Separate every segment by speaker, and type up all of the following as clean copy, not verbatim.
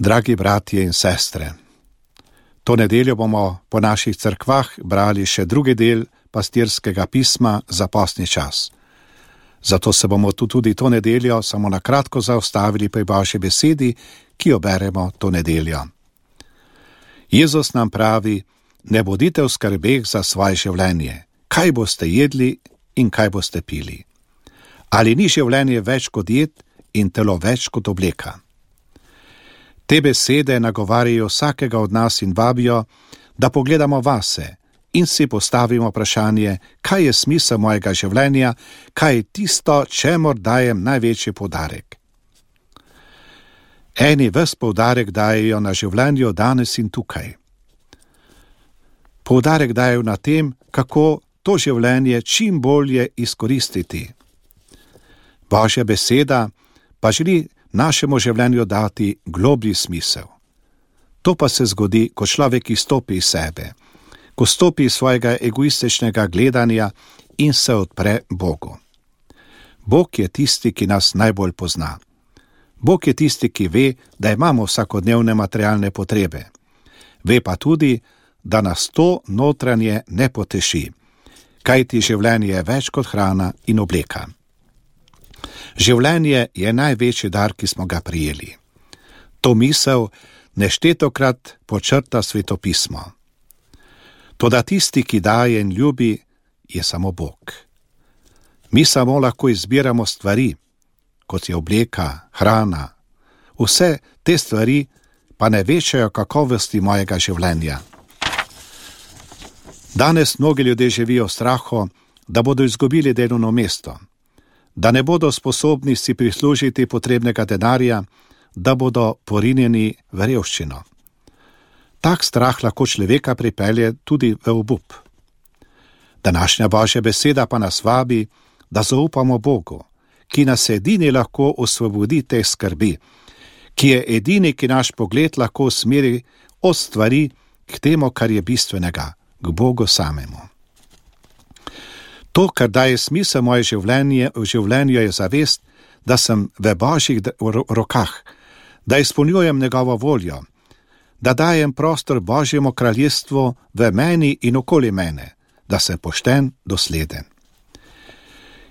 Speaker 1: Dragi bratje in sestre, to nedeljo bomo po naših cerkvah brali še drugi del pastirskega pisma za postni čas. Zato se bomo tudi to nedeljo samo na kratko zaustavili pri Božji besedi, ki jo beremo to nedeljo. Jezus nam pravi: ne bodite v skrbeh za svoje življenje, kaj boste jedli in kaj boste pili. Ali ni življenje več kot jed in telo več kot obleka? Te besede nagovarjajo vsakega od nas in vabijo, da pogledamo vase in si postavimo vprašanje, kaj je smisel mojega življenja, kaj je tisto, čemur dajem največji poudarek. Eni ves poudarek dajejo na življenju danes in tukaj. Poudarek dajejo na tem, kako to življenje čim bolje izkoristiti. Božja beseda pa želi našemu življenju dati globlji smisel. To pa se zgodi, ko človek izstopi iz sebe, ko stopi iz svojega egoističnega gledanja in se odpre Bogu. Bog je tisti, ki nas najbolj pozna. Bog je tisti, ki ve, da imamo vsakodnevne materialne potrebe. Ve pa tudi, da nas to notranje ne poteši, kajti življenje je več kot hrana in obleka. Življenje je največji dar, ki smo ga prijeli. To misel neštetokrat počrta Svetopismo. Toda tisti, ki daje in ljubi, je samo Bog. Mi samo lahko izbiramo stvari, kot je obleka, hrana. Vse te stvari pa ne večajo kakovosti mojega življenja. Danes mnogi ljudje živijo v strahu, da bodo izgubili delovno mesto, da ne bodo sposobni si prislužiti potrebnega denarja, da bodo porinjeni v revščino. Tak strah lahko človeka pripelje tudi v obup. Današnja Božja beseda pa nas vabi, da zaupamo Bogu, ki nas edini lahko osvobodi te skrbi, ki je edini, ki naš pogled lahko usmeri od stvari k temu, kar je bistvenega, k Bogu samemu. To, kar daje smisel moje življenju, je zavest, da sem v Božjih rokah, da izpolnjujem njegovo voljo, da dajem prostor Božjemu kraljestvu v meni in okoli mene, da sem pošten, dosleden.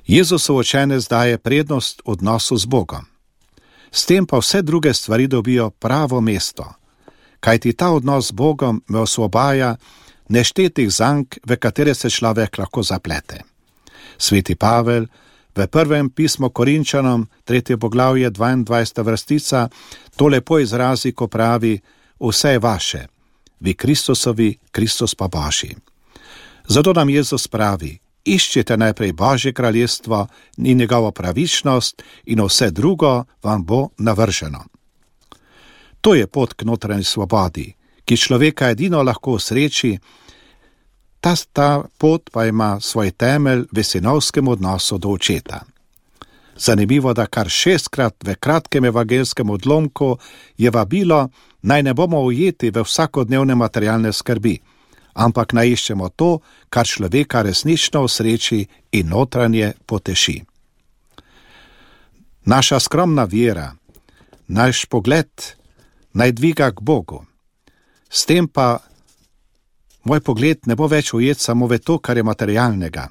Speaker 1: Jezusov učenec daje prednost odnosu z Bogom. S tem pa vse druge stvari dobijo pravo mesto, kajti ta odnos z Bogom me osvobaja neštetih zank, v katere se človek lahko zaplete. Sveti Pavel v prvem pismu Korinčanom, 3. poglavje, 22. vrstica, to lepo izrazi, ko pravi: vse je vaše, vi Kristusovi, Kristus pa Božji. Zato nam Jezus pravi: iščite najprej Božje kraljestvo in njegovo pravičnost in vse drugo vam bo navrženo. To je pot k notranji svobodi, ki človeka edino lahko osreči. Ta pot pa ima svoj temelj v sinovskem odnosu do očeta. Zanimivo, da kar 6-krat v kratkem evangelskem odlomku je vabilo, naj ne bomo ujeti v vsakodnevne materialne skrbi, ampak naj iščemo to, kar človeka resnično osreči in notranje poteši. Naša skromna vera, naš pogled naj dviga k Bogu. S tem pa moj pogled ne bo več ujet samo v to, kar je materialnega.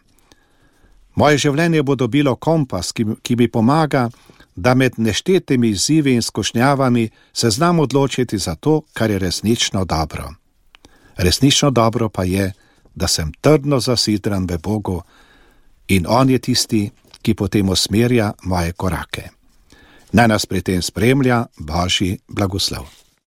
Speaker 1: Moje življenje bo dobilo kompas, ki mi pomaga, da med neštetimi izzivi in skušnjavami se znam odločiti za to, kar je resnično dobro. Resnično dobro pa je, da sem trdno zasidran v Bogu in On je tisti, ki potem usmerja moje korake. Naj nas pri tem spremlja Božji blagoslov.